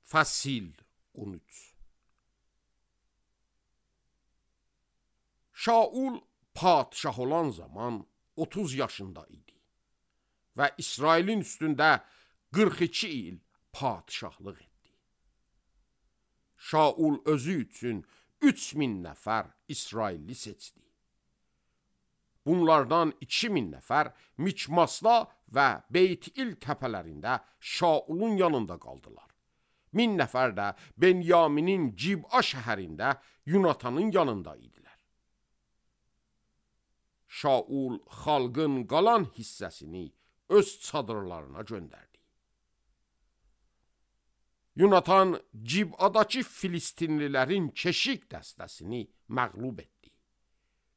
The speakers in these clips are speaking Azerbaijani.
Fəsil 13. Şaul padişah olan zaman 30 yaşında idi və İsrailin üstündə 42 il padişahlıq etdi. Şaul özü üçün 3000 nəfər İsrailli seçdi. Bunlardan 2000 nəfər Miçmasda və Beyt-İl təpələrində Şaulun yanında qaldılar. 1000 nəfər də Benyaminin Cib'a şəhərində Yunatanın yanında idilər. Şaul xalqın qalan hissəsini öz çadırlarına göndərdi. Yunatan Cib'adakı Filistinlilərin keşik dəstəsini məğlub etdi.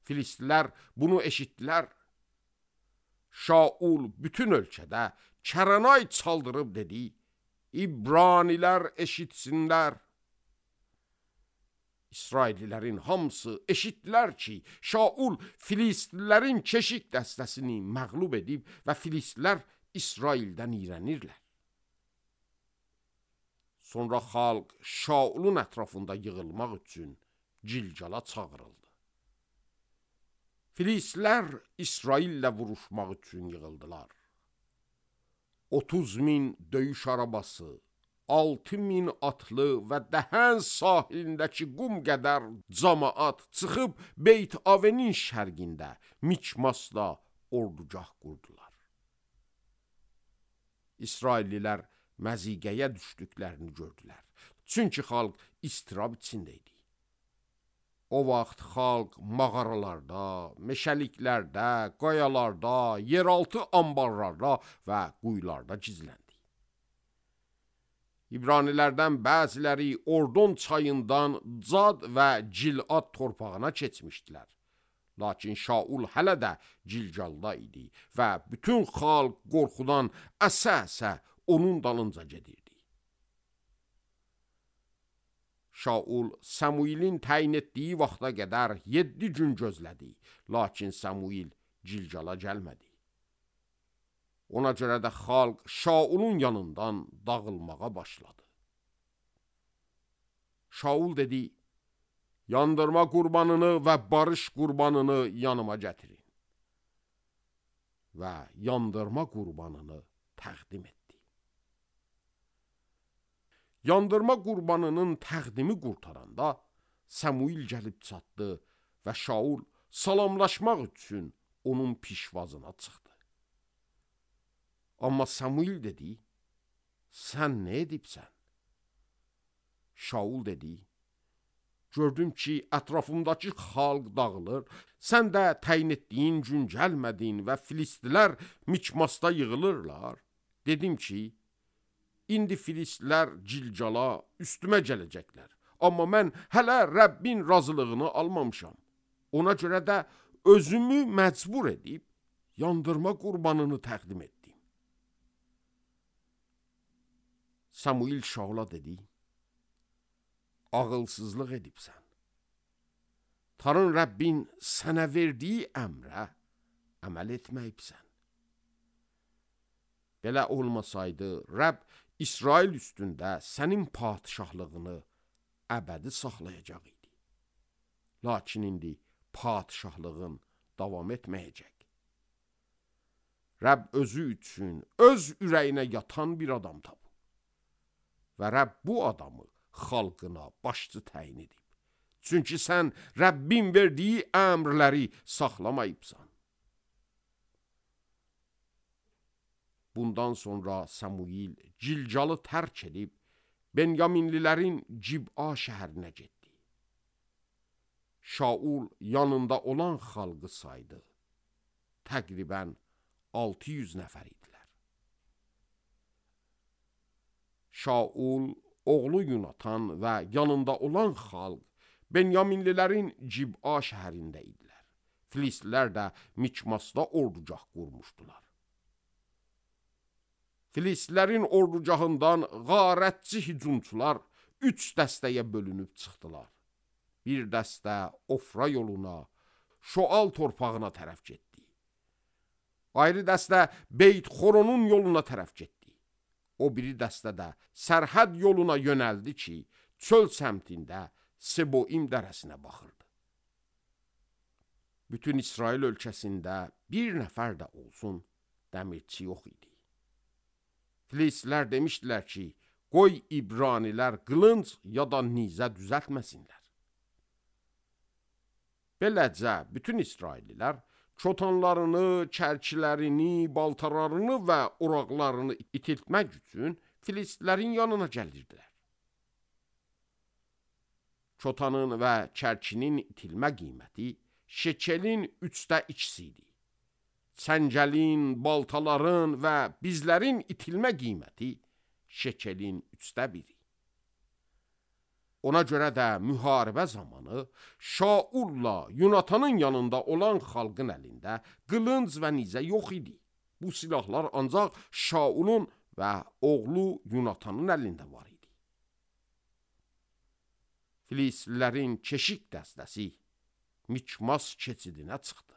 Filistlilər bunu eşitdilər. Şaul bütün ölkədə kəranay çaldırıb dedi: İbranilər eşitsinlər. İsraillilərin hamısı eşitdilər ki, Şaul Filistlilərin keşik dəstəsini məğlub edib və Filistlilər İsraildən iyrənirlər. Sonra xalq Şaulun ətrafında yığılmaq üçün Cilcala çağırıldı. Filistlilər İsraillə vuruşmaq üçün yığıldılar. 30.000 döyüş arabası, 6.000 atlı və Dəhən sahilindəki qum qədər camaat çıxıb Beyt-Avenin şərqində Miçmasda ordugah qurdular. İsraillilər məziqəyə düşdüklərini gördülər. Çünki xalq istirab içində idi. O vaxt xalq mağaralarda, meşəliklərdə, qayalarda, yeraltı ambarlarda və quyularda gizləndi. İbranilərdən bəziləri Ordon çayından Cad və Cilad torpağına keçmişdilər. Lakin Şaul hələ də Cilcalda idi və bütün xalq qorxudan əsə-əsə onun dalınca gedirdi. Şaul Samuilin təyin etdiyi vaxta qədər 7 gün gözlədi, lakin Samuil Cilcala gəlmədi. Ona görə də xalq Şaulun yanından dağılmağa başladı. Şaul dedi: yandırma qurbanını və barış qurbanını yanıma gətirin. Və yandırma qurbanını təqdim etdi. Yandırma qurbanının təqdimi qurtaranda Samuil gəlib çatdı və Şaul salamlaşmaq üçün onun pişvazına çıxdı. Amma Samuil dedi: sən nə edibsən? Şaul dedi: gördüm ki, ətrafımdakı xalq dağılır, sən də təyin etdiyin gün gəlmədin və Filistlilər Miçmasda yığılırlar. Dedim ki, İndi Filistlilər Cilcala üstümə gələcəklər. Amma mən hələ Rəbbin razılığını almamışam. Ona görə də özümü məcbur edib yandırma qurbanını təqdim etdim. Samuil Şaula dedi: ağılsızlıq edibsən. Tanrı Rəbbin sənə verdiyi əmrə əməl etməyibsən. Belə olmasaydı, Rəbb İsrail üstündə sənin padişahlığını əbədi saxlayacaq idi. Lakin indi padişahlığın davam etməyəcək. Rəbb özü üçün öz ürəyinə yatan bir adam tapıb. Və Rəbb bu adamı xalqına başçı təyin edib. Çünki sən Rəbbin verdiyi əmrləri saxlamayıbsan. Bundan sonra Samuil Cilcalı tərk edib Benyaminlilərin Cib'a şəhərinə getdi. Şaul yanında olan xalqı saydı. Təqribən 600 nəfər idilər. Şaul, oğlu Yunatan və yanında olan xalq Benyaminlilərin Cib'a şəhərində idilər. Filistlilər də Miçmasda ordugah qurmuşdular. Filistlərin ordugahından qarətçi hücumçular 3 dəstəyə bölünüb çıxdılar. Bir dəstə Ofra yoluna, Şoal torpağına tərəf getdi. Ayrı dəstə Beyt Xoronun yoluna tərəf getdi. o biri dəstə də sərhəd yoluna yönəldi ki, çöl səmtində Seboim dərəsinə baxırdı. Bütün İsrail ölkəsində bir nəfər də olsun dəmirçi yox idi. Filistlər demişdilər ki, qoy İbranilər qılınc ya da nizə düzəltməsinlər. Beləcə, bütün İsraillilər çotanlarını, çərkilərini, baltalarını və oraqlarını itiltmək üçün Filistlərin yanına gəlirdilər. Çotanın və çərkinin itilmə qiyməti şekelin 2/3 idi. Çəngəlin, baltaların və bizlərin itilmə qiyməti şekelin 1/3. Ona görə də müharibə zamanı Şaulla Yunatanın yanında olan xalqın əlində qılınc və nizə yox idi. Bu silahlar ancaq Şaulun və oğlu Yunatanın əlində var idi. Filistlilərin keşik dəstəsi Mikmas keçidinə çıxdı.